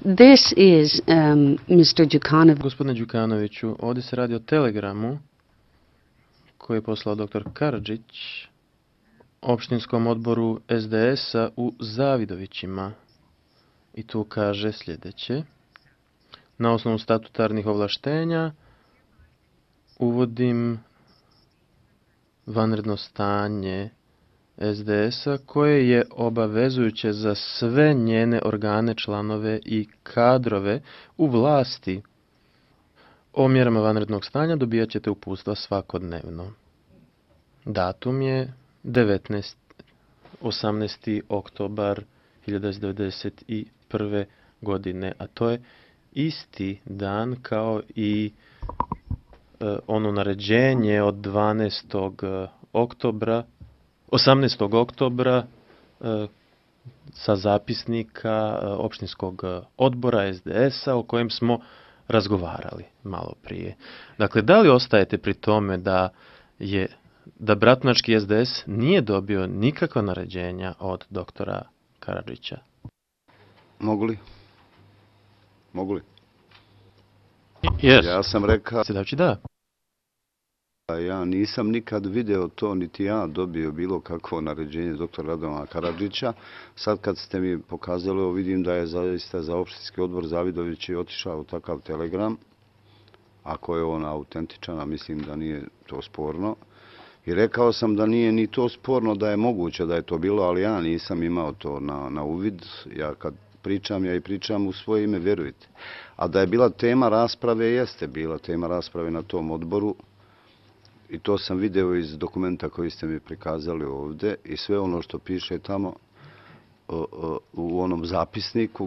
This is Mr. Đukanović. Gospodine Đukanoviću, ovdje se radi o telegramu koji je poslao dr. Karadžić opštinskom odboru SDS-a u Zavidovićima. I tu kaže sljedeće. Na osnovu statutarnih ovlaštenja uvodim vanredno stanje SDS-a koje je obavezujuće za sve njene organe, članove i kadrove u vlasti. O mjerama vanrednog stanja dobijat ćete uputstva svakodnevno. Datum je 18. oktobar 1991. godine, a to je isti dan kao i ono naređenje od 12. oktobra, 18. oktobra sa zapisnika opštinskog odbora SDS-a o kojem smo razgovarali malo prije. Dakle, da li ostajete pri tome da Bratunački SDS nije dobio nikakva naređenja od doktora Karadžića? Mogu li? Yes. Ja sam rekao... Da. Ja nisam nikad video to, niti ja dobio bilo kakvo naređenje doktora Radovana Karadžića. Sad kad ste mi pokazali, ovo vidim da je zaista za opštinski odbor Zavidović otišao u takav telegram. Ako je on autentičan, a mislim da nije to sporno. I rekao sam da nije ni to sporno, da je moguće da je to bilo, ali ja nisam imao to na uvid. Ja kad pričam, ja i pričam u svoje ime, vjerujte. A da je bila tema rasprave, jeste bila tema rasprave na tom odboru. I to sam video iz dokumenta koji ste mi prikazali ovdje i sve ono što piše tamo u onom zapisniku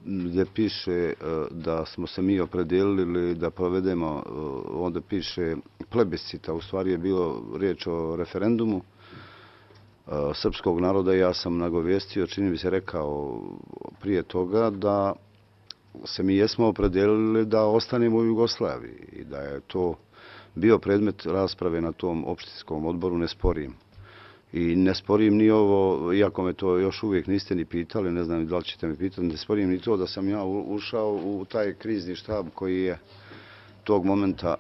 gdje piše da smo se mi opredijelili da provedemo, onda piše plebiscita, u stvari je bilo riječ o referendumu srpskog naroda i ja sam nagovijestio, čini mi se rekao prije toga da se mi jesmo opredijelili da ostanemo u Jugoslaviji i da je to bio predmet rasprave na tom opštinskom odboru, ne sporim. I ne sporim ni ovo, iako me to još uvijek niste ni pitali, ne znam da li ćete mi pitati, ne sporim ni to da sam ja ušao u taj krizni štab koji je tog momenta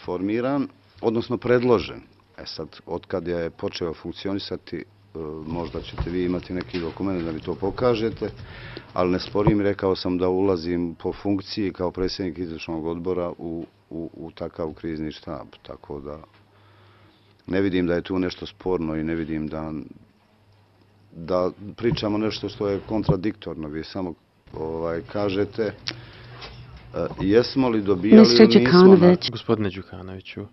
formiran, odnosno predložen. E sad, otkad je počeo funkcionisati, možda ćete vi imati neki dokument da mi to pokažete, ali ne sporim, rekao sam da ulazim po funkciji kao predsjednik izvršnog odbora u takav krizni štab, tako da ne vidim da je tu nešto sporno i ne vidim da pričamo nešto što je kontradiktorno. Vi samo kažete jesmo li dobijali ili nismo. Gospodine Đukanoviću.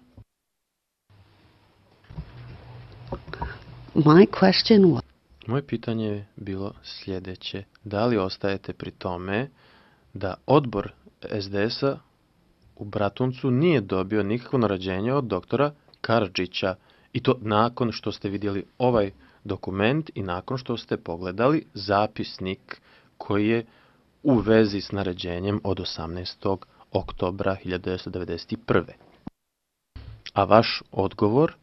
Moje pitanje je bilo sljedeće. Da li ostajete pri tome da odbor SDS-a u Bratuncu nije dobio nikakvo naređenje od doktora Karadžića i to nakon što ste vidjeli ovaj dokument i nakon što ste pogledali zapisnik koji je u vezi s naređenjem od 18. oktobra 1991. A vaš odgovor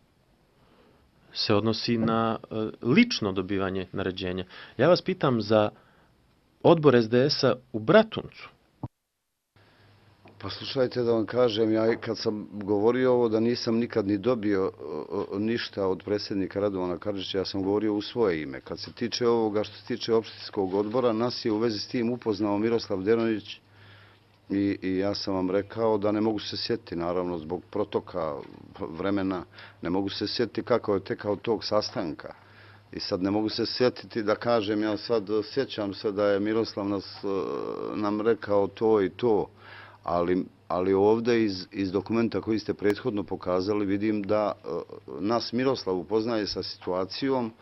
se odnosi na lično dobivanje naređenja. Ja vas pitam za odbor SDS-a u Bratuncu. Pa slušajte da vam kažem, ja kad sam govorio ovo da nisam nikad ni dobio ništa od predsjednika Radovana Karadžića, ja sam govorio u svoje ime. Kad se tiče ovoga što se tiče opštinskog odbora, nas je u vezi s tim upoznao Miroslav Deronić i ja sam vam rekao da ne mogu se sjetiti, naravno zbog protoka vremena, ne mogu se sjetiti kako je tekao tog sastanka. I sad ne mogu se sjetiti da kažem, ja sad sjećam se da je Miroslav nam rekao to i to, ali ovdje iz dokumenta koji ste prethodno pokazali vidim da nas Miroslav upoznaje sa situacijom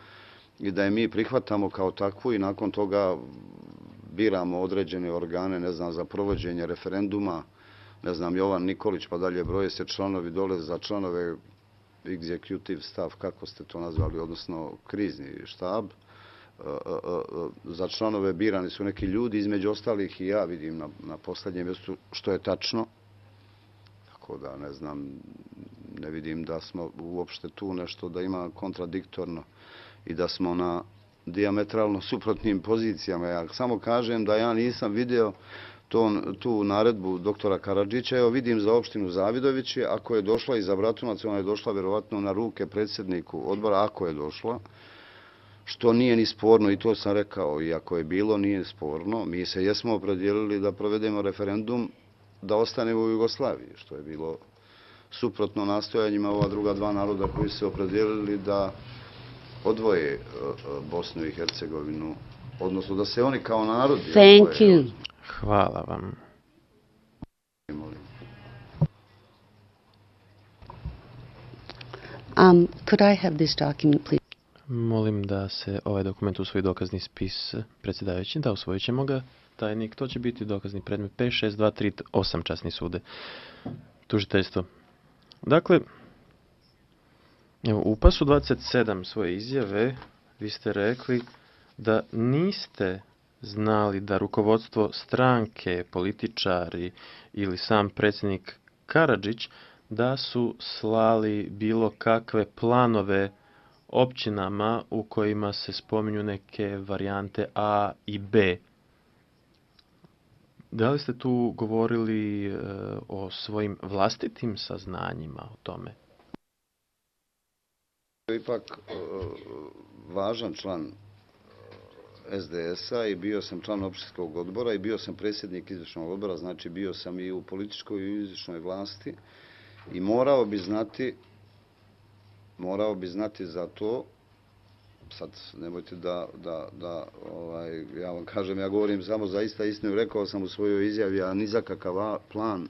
i da je mi prihvatamo kao takvu i nakon toga biramo određene organe, ne znam, za provođenje referenduma, ne znam, Jovan Nikolić, pa dalje broje se članovi dole za članove executive staff, kako ste to nazvali, odnosno krizni štab. Za članove birani su neki ljudi, između ostalih i ja vidim na posljednjem mjestu, što je tačno. Tako da, ne znam, ne vidim da smo uopšte tu nešto da ima kontradiktorno i da smo dijametralno suprotnim pozicijama. Ja samo kažem da ja nisam vidio tu naredbu doktora Karadžića. Evo vidim za opštinu Zavidovići, ako je došla i za Bratunac, ona je došla vjerovatno na ruke predsjedniku odbora, ako je došla, što nije ni sporno, i to sam rekao, i ako je bilo, nije sporno. Mi se jesmo opredijelili da provedemo referendum da ostanemo u Jugoslaviji, što je bilo suprotno nastojanjima ova druga dva naroda koji su se opredijelili da odvoje Bosnu i Hercegovinu, odnosno da se oni kao narod odvoje. Thank you. Hvala vam. Could I have this document, please? Molim da se ovaj dokument usvoji dokazni spis predsjedavajući. Da, usvojit ćemo ga. Tajnik, to će biti dokazni predmet 562338 časni sude. Tužiteljstvo. Dakle, evo, u pasu 27 svoje izjave vi ste rekli da niste znali da rukovodstvo stranke, političari ili sam predsjednik Karadžić da su slali bilo kakve planove općinama u kojima se spominju neke varijante A i B. Da li ste tu govorili o svojim vlastitim saznanjima o tome? Ipak važan član SDS-a i bio sam član opštinskog odbora i bio sam predsjednik izvršnog odbora, znači bio sam i u političkoj i u izvršnoj vlasti i morao bi znati za to. Sad nemojte ja vam kažem, ja govorim samo zaista istinu, rekao sam u svojoj izjavi, a ni za kakav plan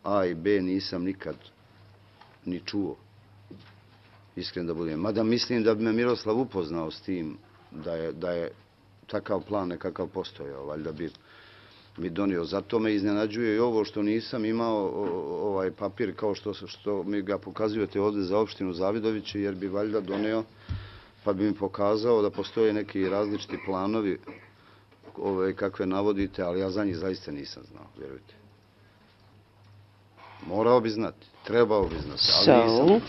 A i B nisam nikad ni čuo, iskren da budem. Mada mislim da bi me Miroslav upoznao s tim da je takav plan nekakav postojao, valjda bi mi donio. Zato me iznenađuje i ovo što nisam imao ovaj papir kao što mi ga pokazujete ovdje za opštinu Zavidovići, jer bi valjda doneo pa bi mi pokazao da postoje neki različiti planovi kakve navodite, ali ja za njih zaista nisam znao, vjerujte. Morao bi znati, trebao bi znati, ali nisam.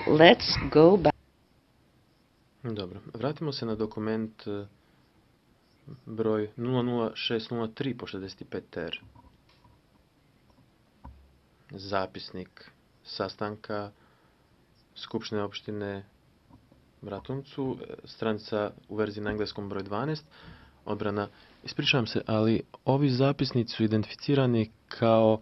Let's go back. Dobro, vratimo se na dokument broj 00603 po 65 TR. Zapisnik sastanka Skupštine opštine Bratuncu, stranica u verziji na engleskom broj 12, odbrana. Ispričavam se, ali ovi zapisnici su identificirani kao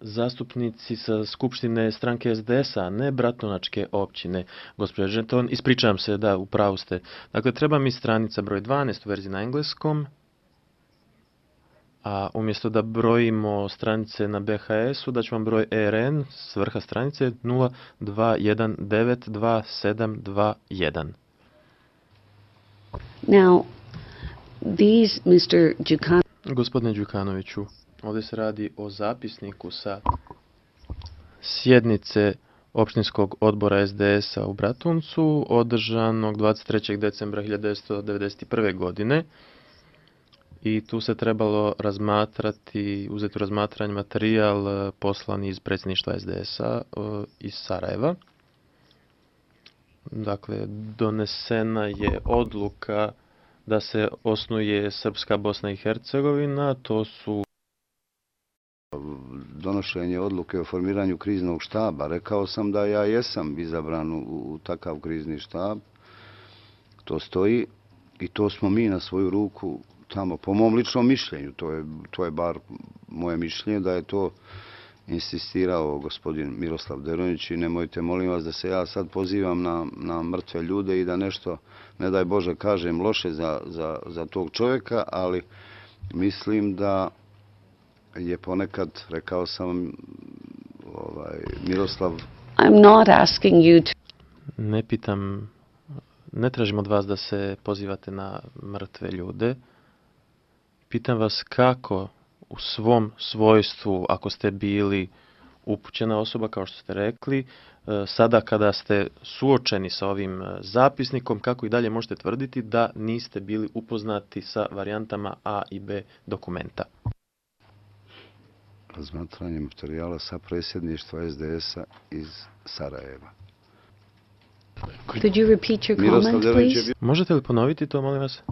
zastupnici sa Skupštine stranke SDS-a, a ne Bratunačke općine. Gospođa Žeton, ispričavam se, da, u pravu ste. Dakle, treba mi stranica broj 12 u verziji na engleskom, a umjesto da brojimo stranice na BHS-u, da ću vam broj ERN s vrha stranice 02192721. Now, these, Mr. Đukanović. Gospodine Đukanoviću, ovdje se radi o zapisniku sa sjednice opštinskog odbora SDS-a u Bratuncu, održanog 23. decembra 1991. godine. I tu se trebalo uzeti u razmatranje materijal poslan iz predsjedništva SDS-a iz Sarajeva. Dakle, donesena je odluka da se osnuje Srpska Bosna i Hercegovina, to su donošenje odluke o formiranju kriznog štaba. Rekao sam da ja jesam izabran u takav krizni štab. To stoji i to smo mi na svoju ruku tamo, po mom ličnom mišljenju, to je bar moje mišljenje, da je to insistirao gospodin Miroslav Deronić i nemojte, molim vas, da se ja sad pozivam na mrtve ljude i da nešto, ne daj Bože, kažem loše za tog čovjeka, ali mislim da je ponekad, rekao sam, Miroslav... I'm not asking you to... Ne tražim od vas da se pozivate na mrtve ljude. Pitam vas kako u svom svojstvu, ako ste bili upućena osoba, kao što ste rekli, sada kada ste suočeni sa ovim zapisnikom, kako i dalje možete tvrditi da niste bili upoznati sa varijantama A i B dokumenta? Razmatranje materijala sa predsjedništva SDS-a iz Sarajeva. Could you repeat your Miroslav comment, Delnić je please? bio... Možete li ponoviti to, molim vas?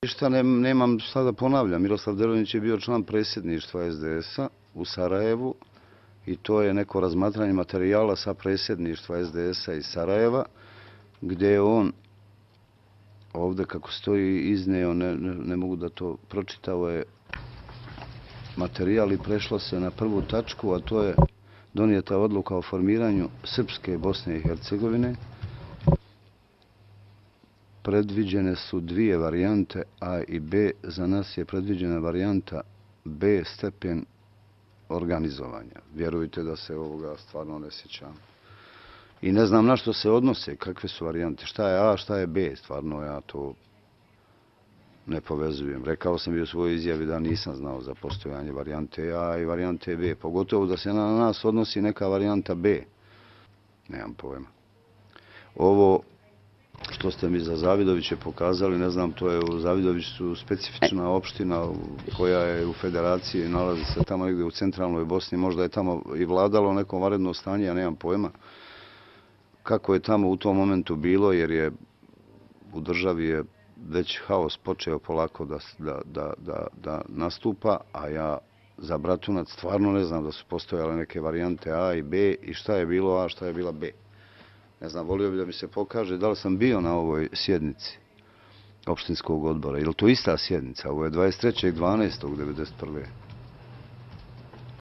Ništa nemam šta da ponavljam. Miroslav Delnić je bio član predsjedništva SDS-a u Sarajevu i to je neko razmatranje materijala sa predsjedništva SDS-a iz Sarajeva, gdje je on ovdje kako stoji izneo, ne mogu da to pročitao je materijal i prešlo se na prvu tačku, a to je donijeta odluka o formiranju Srpske Bosne i Hercegovine. Predviđene su dvije varijante A i B. Za nas je predviđena varijanta B stepen organizovanja. Vjerujte da se ovoga stvarno ne sjećam. I ne znam na što se odnose, kakve su varijante, šta je A, šta je B, stvarno ja to ne povezujem. Rekao sam i u svojoj izjavi da nisam znao za postojanje varijante A i varijante B, pogotovo da se na nas odnosi neka varijanta B. Nemam pojma. Ovo što ste mi za Zavidoviće pokazali, ne znam, to je u Zavidoviću specifična opština koja je u federaciji, nalazi se tamo negdje u centralnoj Bosni, možda je tamo i vladalo neko vanredno stanje, ja nemam pojma kako je tamo u tom momentu bilo, jer je u državi je već haos počeo polako da nastupa, a ja za Bratunac stvarno ne znam da su postojale neke varijante A i B i šta je bilo A, šta je bila B. Ne znam, volio bi da mi se pokaže da li sam bio na ovoj sjednici opštinskog odbora. Je li to ista sjednica? Ovo je 23.12.1991.